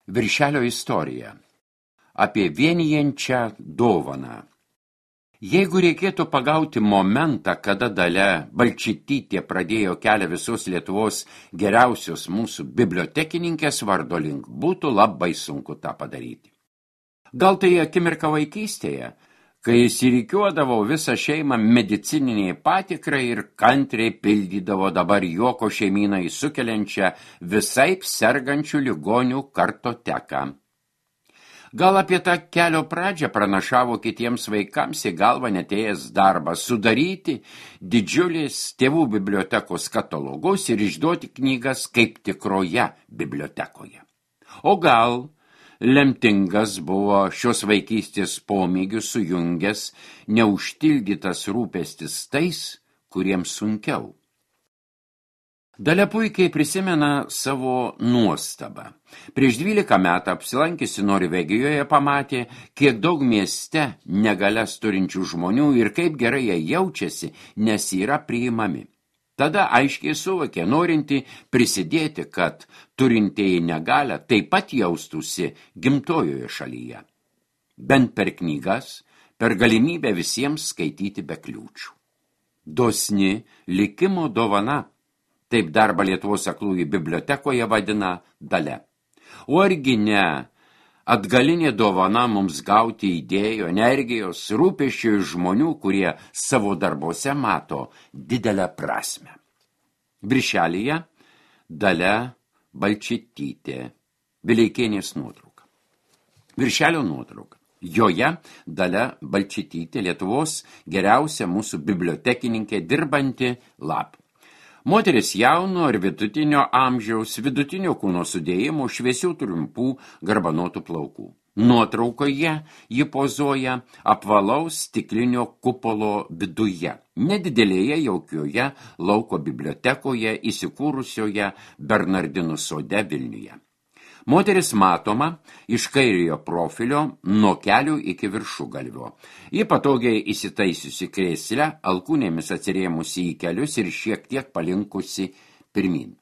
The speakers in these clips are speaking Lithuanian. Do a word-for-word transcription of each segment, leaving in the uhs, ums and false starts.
Viršelio istorija. Apie vienijančią dovaną. Jeigu reikėtų pagauti momentą, kada Dalia Balčytytė pradėjo kelią visos Lietuvos geriausios mūsų bibliotekininkės vardo link, būtų labai sunku tą padaryti. Gal tai akimirka vaikystėje, kai įsirikiuodavo visą šeimą medicininiai patikrai ir kantriai pildydavo dabar juoko šeimynai sukeliančią visaip sergančių ligonių kartoteką. Gal apie tą kelio pradžią pranašavo kitiems vaikams į galvą netėjęs darbas sudaryti didžiulės tėvų bibliotekos katalogus ir išduoti knygas kaip tikroje bibliotekoje. O gal lemtingas buvo šios vaikystės pomėgius sujungęs neužtildytas rūpestis tais, kuriems sunkiau. Dalia puikiai prisimena savo nuostabą. Prieš dvylika metų apsilankiusi Norvegijoje pamatė, kiek daug mieste negalias turinčių žmonių ir kaip gerai jie jaučiasi, nes yra priimami. Tada aiškiai suvokė, norinti prisidėti, kad turintieji negalią taip pat jaustųsi gimtojoje šalyje. Bent per knygas, per galimybę visiems skaityti be kliūčių. Dosni likimo dovana. Taip darbą Lietuvos aklųjų bibliotekoje vadina Dalia. O argi ne atgalinė dovana mums gauti idėjų, energijos, rūpesčių iš žmonių, kurie savo darbuose mato didelę prasmę. Viršelyje Dalia Balčytytė, Vileikienės nuotrauka. Viršelio nuotrauka. Joje Dalia Balčytytė, Lietuvos geriausia mūsų bibliotekininkė, dirbanti lab. Moteris jauno ar vidutinio amžiaus, vidutinio kūno sudėjimo, šviesių trumpų, garbanotų plaukų. Nuotraukoje ji pozuoja apvalaus stiklinio kupolo viduje, nedidelėje jaukioje lauko bibliotekoje įsikūrusioje Bernardinų sode Vilniuje. Moteris matoma iš kairiojo profilio nuo kelių iki viršugalvio. Ji patogiai įsitaisiusi krėslę, alkūnėmis atsirėmusi į kelius ir šiek tiek palinkusi pirmin.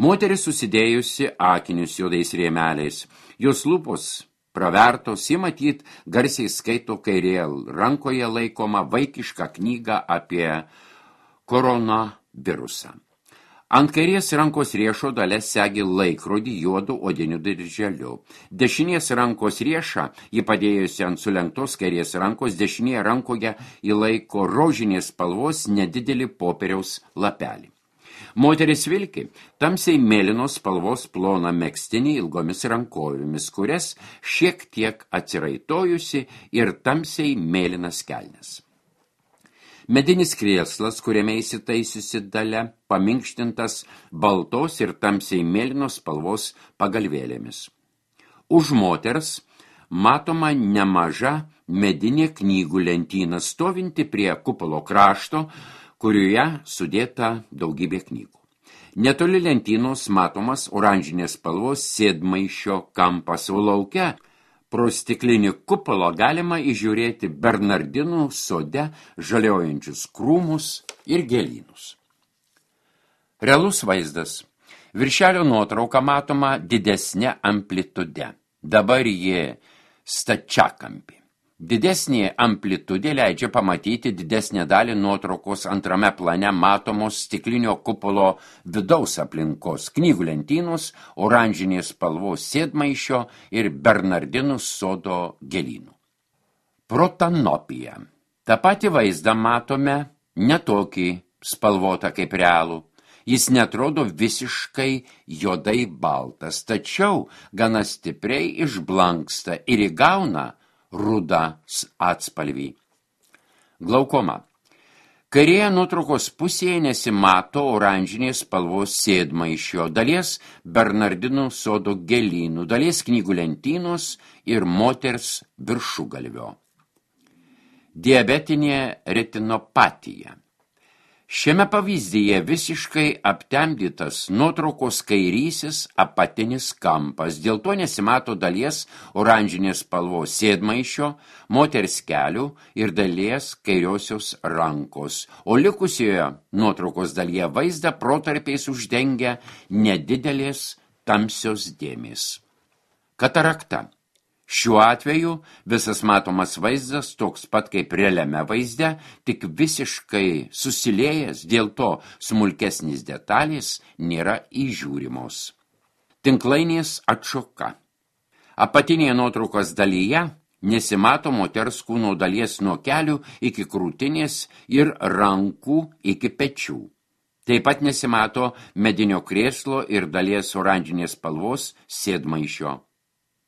Moteris susidėjusi akinius juodais rėmeliais. Jos lūpos pravertos, ji matyt garsiai skaito kairėje rankoje laikoma vaikišką knygą apie koronavirusą. Ant kairės rankos riešo Dalia segi laikrodį juodu odiniu dirželiu. Dešinės rankos riešą ji padėjusi ant sulenktos kairės rankos, dešinėje rankoje į laiko rožinės spalvos nedidelį popieriaus lapelį. Moteris vilki tamsiai mėlynos spalvos ploną megztinį ilgomis rankovėmis, kurias šiek tiek atsiraitojusi ir tamsiai mėlynas kelnes. Medinis krėslas, kuriame įsitaisiusi Dalia, paminkštintas baltos ir tamsiai mėlynos spalvos pagalvėlėmis. Už moters matoma nemaža medinė knygų lentyna, stovinti prie kupolo krašto, kurioje sudėta daugybė knygų. Netoli lentynos matomas oranžinės spalvos sėdmaišio kampas, o lauke pro stiklinį kupolą galima įžiūrėti Bernardinų sode žaliojančius krūmus ir gėlynus. Realus vaizdas. Viršelio nuotrauka matoma didesnė amplitude. Dabar ji stačiakampė. Didesnė amplitudė leidžia pamatyti didesnę dalį nuotraukos antrame plane matomos stiklinio kupolo vidaus aplinkos, knygų lentynos, oranžinės spalvos sėdmaišio ir Bernardinų sodo gėlynų. Protanopija. Ta pati vaizdą matome ne tokį spalvotą kaip realų. Jis netrodo visiškai juodai baltas, tačiau gana stipriai išblanksta ir įgauna rudą atspalvį. Glaukoma. Kairėje nuotraukos pusėje nesimato oranžinės spalvos sėdmaišio, dalies Bernardinų sodo gėlynų, dalies knygų lentynos ir moters viršugalvio. Diabetinė retinopatija. Šiame pavyzdyje visiškai aptemdytas nuotraukos kairysis apatinis kampas, dėl to nesimato dalies oranžinės spalvos sėdmaišio, moters kelių ir dalies kairiosios rankos, o likusioje nuotraukos dalyje vaizdą protarpiais uždengia nedidelės tamsios dėmės. Katarakta. Šiuo atveju visas matomas vaizdas toks pat kaip realiame vaizde, tik visiškai susiliejęs, dėl to smulkesnis detalės nėra įžiūrimos. Tinklainės atšoka. Apatinėje nuotraukos dalyje nesimato moters kūno dalies nuo kelių iki krūtinės ir rankų iki pečių. Taip pat nesimato medinio krėslo ir dalies oranžinės spalvos sėdmaišio.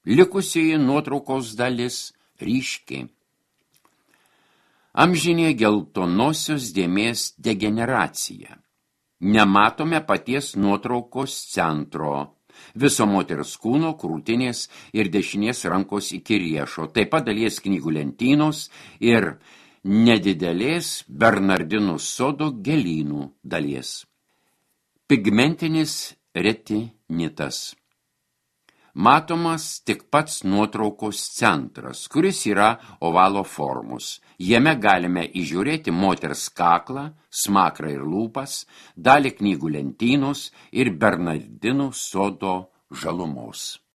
Likusioji nuotraukos dalis ryški. Amžinė geltonosios dėmės degeneracija. Nematome paties nuotraukos centro, viso moters kūno, krūtinės ir dešinės rankos iki riešo, taip pat dalies knygų lentynos ir nedidelės Bernardinų sodo gėlynų dalies. Pigmentinis retinitas. Matomas tik pats nuotraukos centras, kuris yra ovalo formos. Jame galime įžiūrėti moters kaklą, smakrą ir lūpas, dalį knygų lentynos ir Bernardinų sodo žalumos.